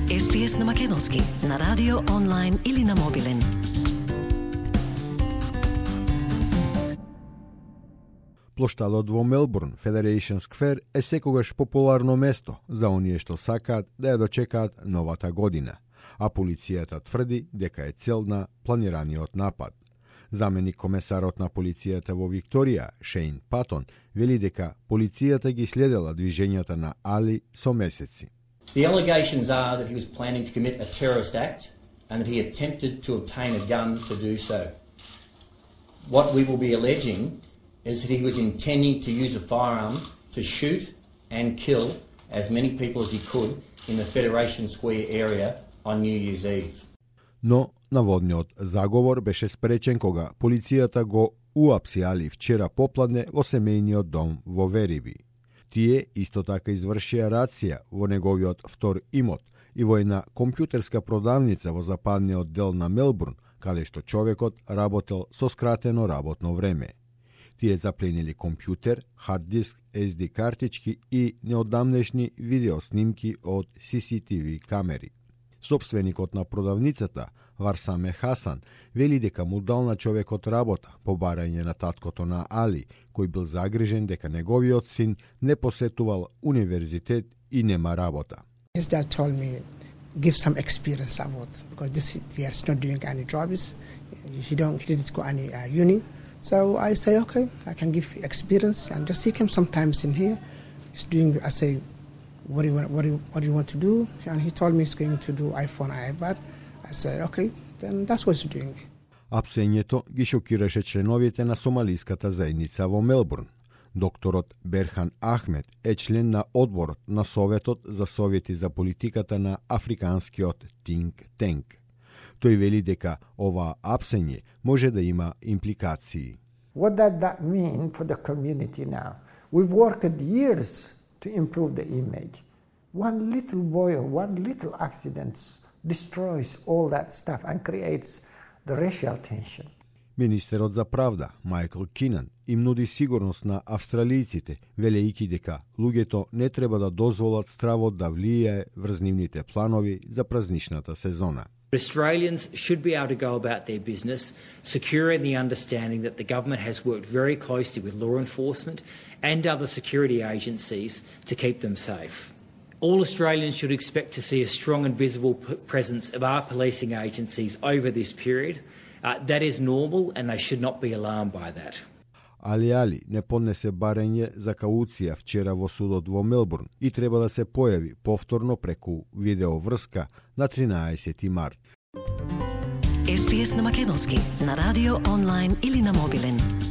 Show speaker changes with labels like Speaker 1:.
Speaker 1: SPS на македонски, на радио, онлайн или на мобилен.
Speaker 2: Плоштадот во Мелбурн, Federation Square, е секогаш популарно место за оние што сакаат да ја дочекаат новата година, а полицијата тврди дека е цел на планираниот напад. Заменик комесарот на полицијата во Викторија, Шейн Патон, вели дека полицијата ги следела движењата на Али со месеци.
Speaker 3: The allegations are that he was planning to commit a terrorist act and that he attempted to obtain a gun to do so. What we will be alleging is that he was intending to use a firearm to shoot and kill as many people as he could in the Federation Square area on New Year's Eve.
Speaker 2: Но наводниот заговор беше спречен кога полицијата го уапси Али вчера попладне во семејниот дом во Вериби. Тие исто така извршија рација во неговиот втор имот и во една компјутерска продавница во западниот дел на Мелбурн, каде што човекот работел со скратено работно време. Тие запленили компјутер, хард диск, SD картички и неодамнешни видеоснимки од CCTV камери. Собственикот на продавницата, Варсаме Хасан, вели дека му дал на човекот работа по барање на таткото на Али, кој бил загрижен дека неговиот син не посетувал универзитет и нема работа.
Speaker 4: His dad told me, give some experience about, because this year is not doing any jobs, he didn't go any uni. So I say, okay, I can give experience, and just he came sometimes in here. He's doing, I say, what do you want to do? And he told me he's going to do iPhone, iPad. I say, okay, then that's what he's doing.
Speaker 2: Апсењето ги шокираше членовите на сомалиската заедница во Мелбурн. Докторот Берхан Ахмед е член на одборот на Советот за совети за политиката на Африканскиот Think Tank. Тој вели дека ова апсење може да има импликации.
Speaker 5: What does that mean for the community now? We've worked years to improve the image. One little boy or one little accident destroys all that stuff and creates the racial tension.
Speaker 2: Министерот за правда, Майкл Кинан, им нуди сигурност на австралијците, велејќи дека луѓето не треба да дозволат стравот да влијае врз нивните планови за празничната сезона.
Speaker 6: Australians should be able to go about their business, secure in the understanding that the government has worked very closely with law enforcement and other security agencies to keep them safe. All Australians should expect to see a strong and visible presence of our policing agencies over this period. That is normal and they should not be alarmed by that.
Speaker 2: Али не поднесе барање за кауција вчера во судот во Мелбурн и треба да се појави повторно преку видеоврска на 13 март.
Speaker 1: SPS на македонски, на радио, онлайн или на мобилен.